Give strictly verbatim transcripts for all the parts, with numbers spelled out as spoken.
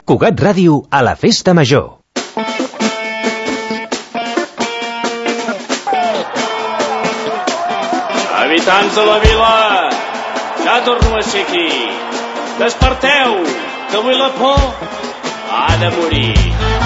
Cugat Ràdio a la Festa Major. Habitants de la vila, ja torno a ser aquí. Desperteu, que avui la por ha de morir.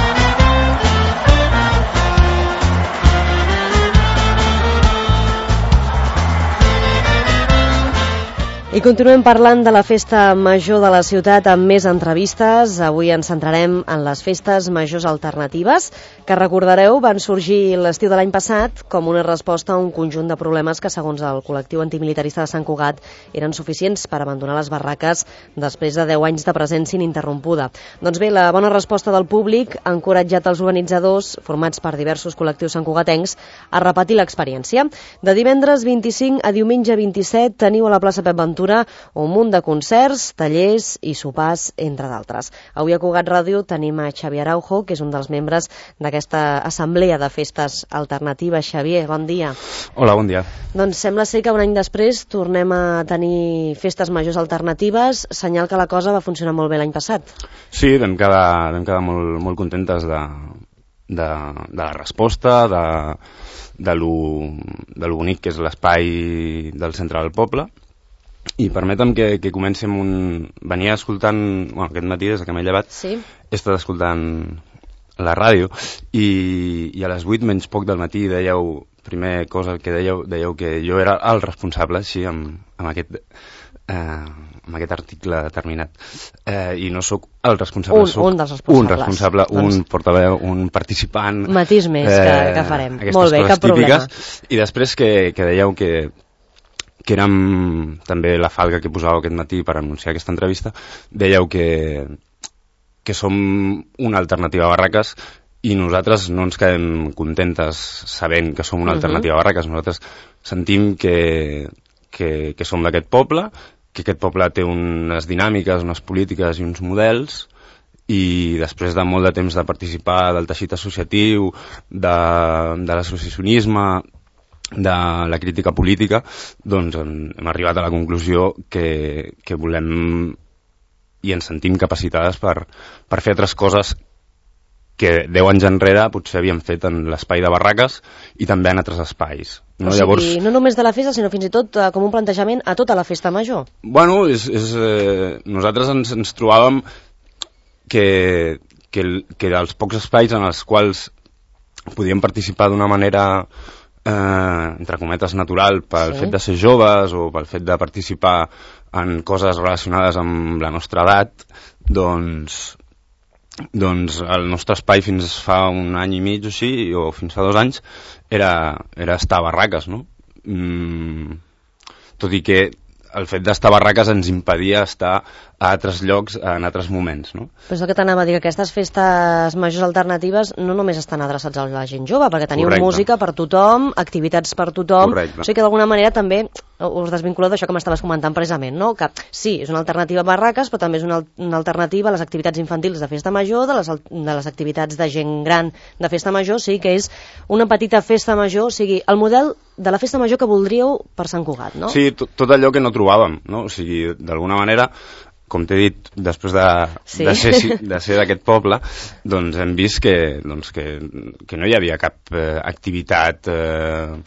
I continuem parlant de la festa major de la ciutat amb més entrevistes. Avui ens centrarem en les festes majors alternatives, que recordareu van sorgir l'estiu de l'any passat com una resposta a un conjunt de problemes que, segons el col·lectiu antimilitarista de Sant Cugat, eren suficients per abandonar les barraques després de deu anys de presència ininterrompuda. Doncs bé, la bona resposta del públic ha encoratjat els organitzadors, formats per diversos col·lectius santcugatencs, a repetir l'experiència. De divendres vint-i-cinc a diumenge vint-i-set teniu a la plaça Pep Ventura un munt de concerts, tallers i sopars, entre d'altres. Avui a Cugat Ràdio tenim a Xavier Araujo, que és un dels membres d'aquesta assemblea de festes alternatives. Xavier, bon dia. Hola, bon dia. Doncs sembla ser que un any després tornem a tenir festes majors alternatives, senyal que la cosa va funcionar molt bé l'any passat. Sí, vam quedar, vam quedar molt, molt contentes de, de, de la resposta, de, de, lo, de lo bonic que és l'espai del centre del poble. I permetem que, que comenci amb un... Venia escoltant... Bueno, aquest matí, des que m'he llevat, sí. He estat escoltant la ràdio i, i a les vuit menys poc del matí dèieu, primer cosa que dèieu, dèieu que jo era el responsable, així, amb, amb, aquest, eh, amb aquest article determinat. Eh, I no sóc el responsable, un, sóc un dels responsables. Un responsable, doncs... un portaveu, un participant... Matís més eh, que, que farem. Molt bé, cap típiques. problema. I després que, que dèieu que que érem també la falca que posàveu aquest matí per anunciar aquesta entrevista, dèieu que, que som una alternativa a barraques i nosaltres no ens quedem contentes sabent que som una alternativa a barraques. Nosaltres sentim que, que, que som d'aquest poble, que aquest poble té unes dinàmiques, unes polítiques i uns models, i després de molt de temps de participar del teixit associatiu, de, de l'associacionisme, de la crítica política, doncs hem arribat a la conclusió que, que volem i ens sentim capacitades per, per fer altres coses que deu anys enrere potser havíem fet en l'espai de barraques i també en altres espais. No? O sigui, Llavors, no només de la festa, sinó fins i tot eh, com un plantejament a tota la festa major. Bueno, és, és, eh, nosaltres ens, ens trobàvem que, que, que dels pocs espais en els quals podíem participar d'una manera... Eh, entre cometes natural pel sí. fet de ser joves o pel fet de participar en coses relacionades amb la nostra edat, doncs, doncs el nostre espai fins fa un any i mig o així, o fins fa dos anys, era, era estar a barraques, no? Mm, tot i que el fet d'estar a barraques ens impedia estar a altres llocs en altres moments, no? Però és el que t'anava a dir, que aquestes festes majors alternatives no només estan adreçats a la gent jove, perquè teniu Correcte. música per tothom, activitats per tothom, Correcte. o sigui que d'alguna manera també us desvinculeu d'això que m'estaves comentant precisament, no? Que sí, és una alternativa a barraques, però també és una, una alternativa a les activitats infantils de festa major, de les, de les activitats de gent gran de festa major, o sigui que és una petita festa major, o sigui, el model de la festa major que voldríeu per Sant Cugat, no? Sí, tot, tot allò que no trobàvem, no? O sigui, d'alguna manera, com t'he dit, després de, sí. de ser, de ser d'aquest poble, doncs hem vist que, doncs, que, que no hi havia cap eh, activitat eh,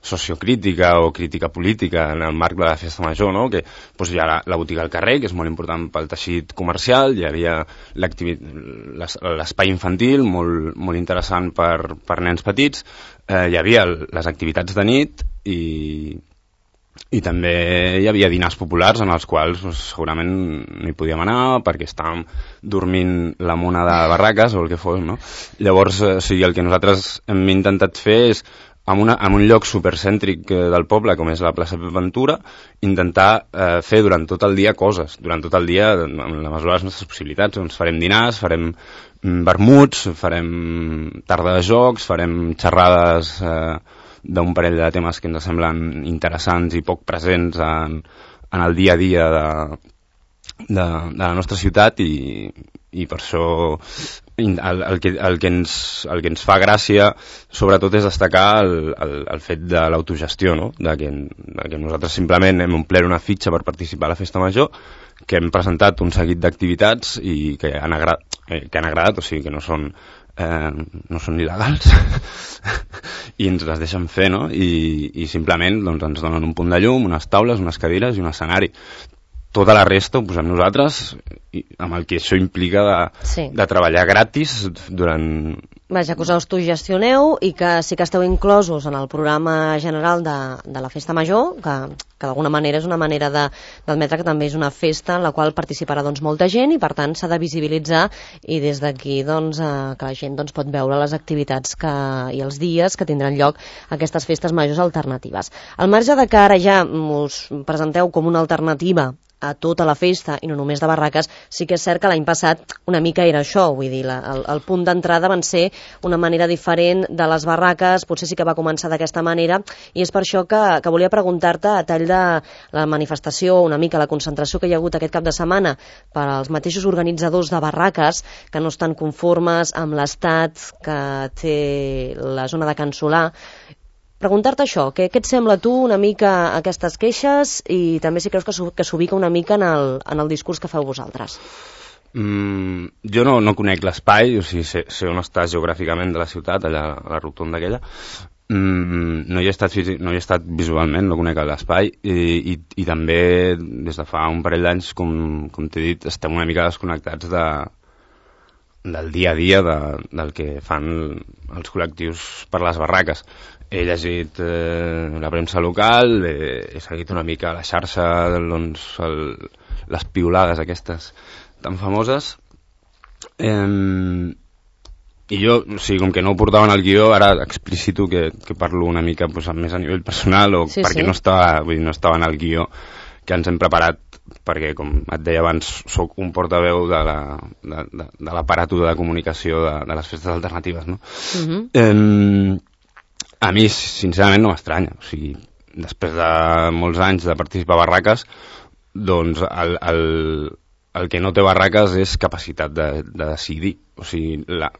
sociocrítica o crítica política en el marc de la festa major, no? Que doncs, hi ha la, la botiga al carrer, que és molt important pel teixit comercial, hi havia l'espai infantil, molt, molt interessant per, per nens petits, eh, hi havia les activitats de nit i... I també hi havia dinars populars en els quals doncs, segurament no hi podíem anar perquè estàvem dormint la mona de barraques o el que fos, no? Llavors, o sigui, el que nosaltres hem intentat fer és, en, una, en un lloc supercèntric del poble, com és la plaça Pep Ventura, intentar eh, fer durant tot el dia coses, durant tot el dia, en la mesura de les nostres possibilitats. Doncs farem dinars, farem vermuts, farem tarda de jocs, farem xerrades... Eh, d'un parell de temes que ens semblen interessants i poc presents en, en el dia a dia de, de, de la nostra ciutat i, i per això el, el, que, el, que ens, el que ens fa gràcia sobretot és destacar el, el, el fet de l'autogestió, no? de, que, de que nosaltres simplement hem omplert una fitxa per participar a la festa major, que hem presentat un seguit d'activitats i que han agradat, eh, que han agradat, o sigui que no són, eh, no són il·legals, i ens les deixen fer, no? I, i simplement doncs, ens donen un punt de llum, unes taules, unes cadires i un escenari. Tota la resta ho posem nosaltres, i amb el que això implica de, sí. de treballar gratis durant... Vaja, que us autogestioneu i que sí que esteu inclosos en el programa general de, de la Festa Major, que, que d'alguna manera és una manera d'admetre que també és una festa en la qual participarà doncs, molta gent i per tant s'ha de visibilitzar i des d'aquí doncs, eh, que la gent doncs, pot veure les activitats que, i els dies que tindran lloc aquestes festes majors alternatives. Al marge de que ara ja us presenteu com una alternativa a tota la festa i no només de barraques, sí que és cert que l'any passat una mica era això, vull dir, la, el, el punt d'entrada van ser una manera diferent de les barraques, potser sí que va començar d'aquesta manera i és per això que, que volia preguntar-te a tall de la manifestació, una mica la concentració que hi ha hagut aquest cap de setmana per als mateixos organitzadors de barraques que no estan conformes amb l'estat que té la zona de Can Solà. Preguntar-te això, què, què et sembla tu una mica aquestes queixes i també si creus que s'ubica una mica en el, en el discurs que feu vosaltres? Mm, jo no, no conec l'espai, o sigui, sé, sé on està geogràficament de la ciutat, allà a la rotonda aquella. Mm, no, hi he estat, no hi he estat visualment, no conec l'espai i, i, i també des de fa un parell d'anys, com, com t'he dit, estem una mica desconnectats de, del dia a dia de, del que fan els col·lectius per les barraques. He llegit eh, la premsa local, he, he seguit una mica la xarxa, doncs, el, les piulades aquestes tan famoses. Eh, I jo, o sigui, com que no ho portava en el guió, ara explicito que, que parlo una mica pues, més a nivell personal, o sí, perquè sí. no, estava, vull dir, no estava en el guió que ens hem preparat, perquè, com et deia abans, sóc un portaveu de la, de, de, de l'aparato de comunicació de, de les festes alternatives, no? Uh-huh. Eh, A mi, sincerament, no m'estranya. O sigui, després de molts anys de participar a barraques, doncs el, el, el que no té barraques és capacitat de, de decidir. O sigui, la,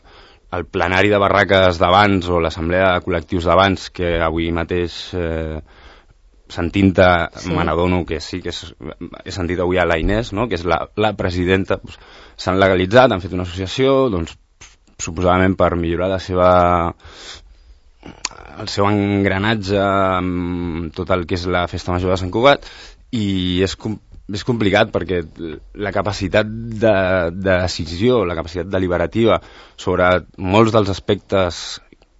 el plenari de barraques d'abans o l'assemblea de col·lectius d'abans, que avui mateix eh, sentint-te sí. me n'adono que sí, que és, he sentit avui a la Inés, no? Que és la, la presidenta, doncs, s'han legalitzat, han fet una associació, doncs, suposadament per millorar la seva... el seu engranatge amb tot el que és la Festa Major de Sant Cugat i és, com, és complicat perquè la capacitat de, de decisió, la capacitat deliberativa sobre molts dels aspectes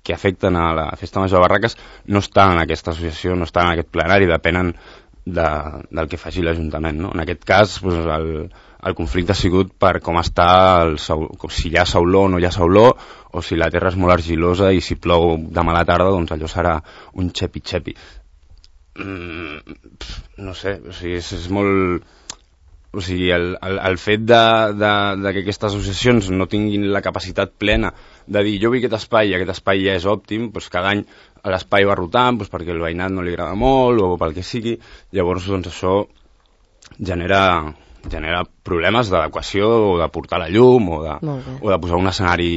que afecten a la Festa Major de Barraques no estan en aquesta associació, no estan en aquest plenari, depenen de, del que faci l'Ajuntament, no? En aquest cas, doncs, el, el conflicte ha sigut per com està el saul, si hi ha sauló o no hi ha sauló, o si la terra és molt argilosa i si plou demà a la tarda, doncs allò serà un xepi-xepi. Mm, no sé, o sigui, és, és molt... O sigui, el, el, el fet de, de, de que aquestes associacions no tinguin la capacitat plena de dir jo vull aquest espai i aquest espai ja és òptim, doncs cada any l'espai va rotant doncs perquè el veïnat no li agrada molt o pel que sigui, llavors doncs això genera... genera problemes d'adequació o de portar la llum o de, o de posar un escenari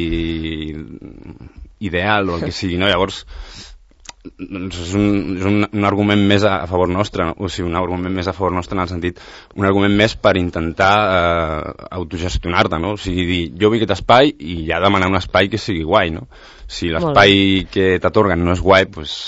ideal o el que sigui, no? Llavors doncs és, un, és un, un argument més a, a favor nostre, no? O sigui, un argument més a favor nostre en el sentit, un argument més per intentar eh, autogestionar-te, no? O sigui, dir, jo vull aquest espai i ja demanar un espai que sigui guai, no? Si l'espai que t'atorguen no és guai, doncs...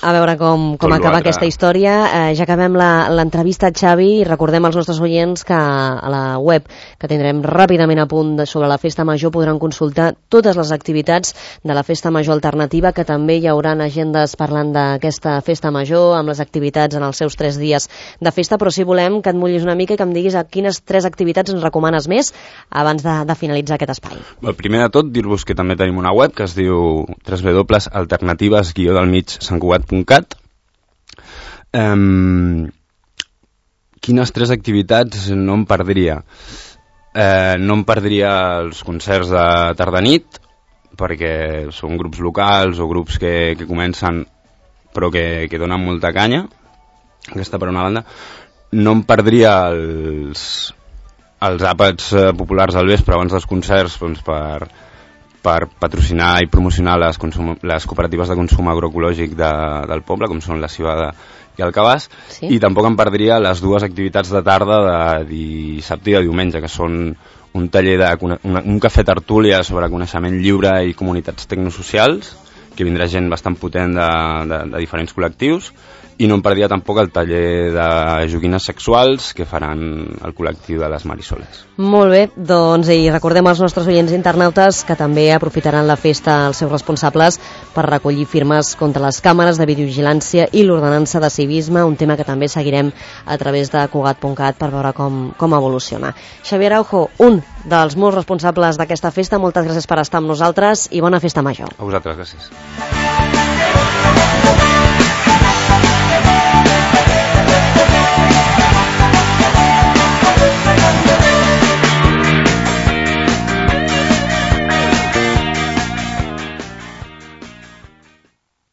A veure com, com acaba aquesta història. Eh, ja acabem l'entrevista, Xavi, i recordem als nostres oients que a la web que tindrem ràpidament a punt de, sobre la Festa Major podran consultar totes les activitats de la Festa Major Alternativa, que també hi haurà agendes parlant d'aquesta Festa Major, amb les activitats en els seus tres dies de festa, però si volem que et mullis una mica i que em diguis a quines tres activitats ens recomanes més abans de, de finalitzar aquest espai. El primer de tot, dir-vos que també tenim una web que es diu w w w punt alternatives guió del mig sant cugat punt cat. Um, quines tres activitats no em perdria? Eh, no em perdria els concerts de tarda-nit, perquè són grups locals o grups que, que comencen però que, que donen molta canya, aquesta per una banda. No em perdria els, els àpats populars al vespre abans dels concerts, doncs per... per patrocinar i promocionar les, consum, les cooperatives de consum agroecològic de, del poble, com són la Civada i el Cabàs, sí? I tampoc em perdria les dues activitats de tarda de dissabte i de diumenge, que són un taller de una, un cafè tertúlia sobre coneixement lliure i comunitats tecnosocials, que vindrà gent bastant potent de, de, de diferents col·lectius, i no em perdia tampoc el taller de joguines sexuals que faran el col·lectiu de les Marisoles. Molt bé, doncs i recordem als nostres oients internautes que també aprofitaran la festa els seus responsables per recollir firmes contra les càmeres de videovigilància i l'ordenança de civisme, un tema que també seguirem a través de Cugat punt cat per veure com, com evoluciona. Xavier Araujo, un dels molts responsables d'aquesta festa, moltes gràcies per estar amb nosaltres i bona festa major. A vosaltres, gràcies.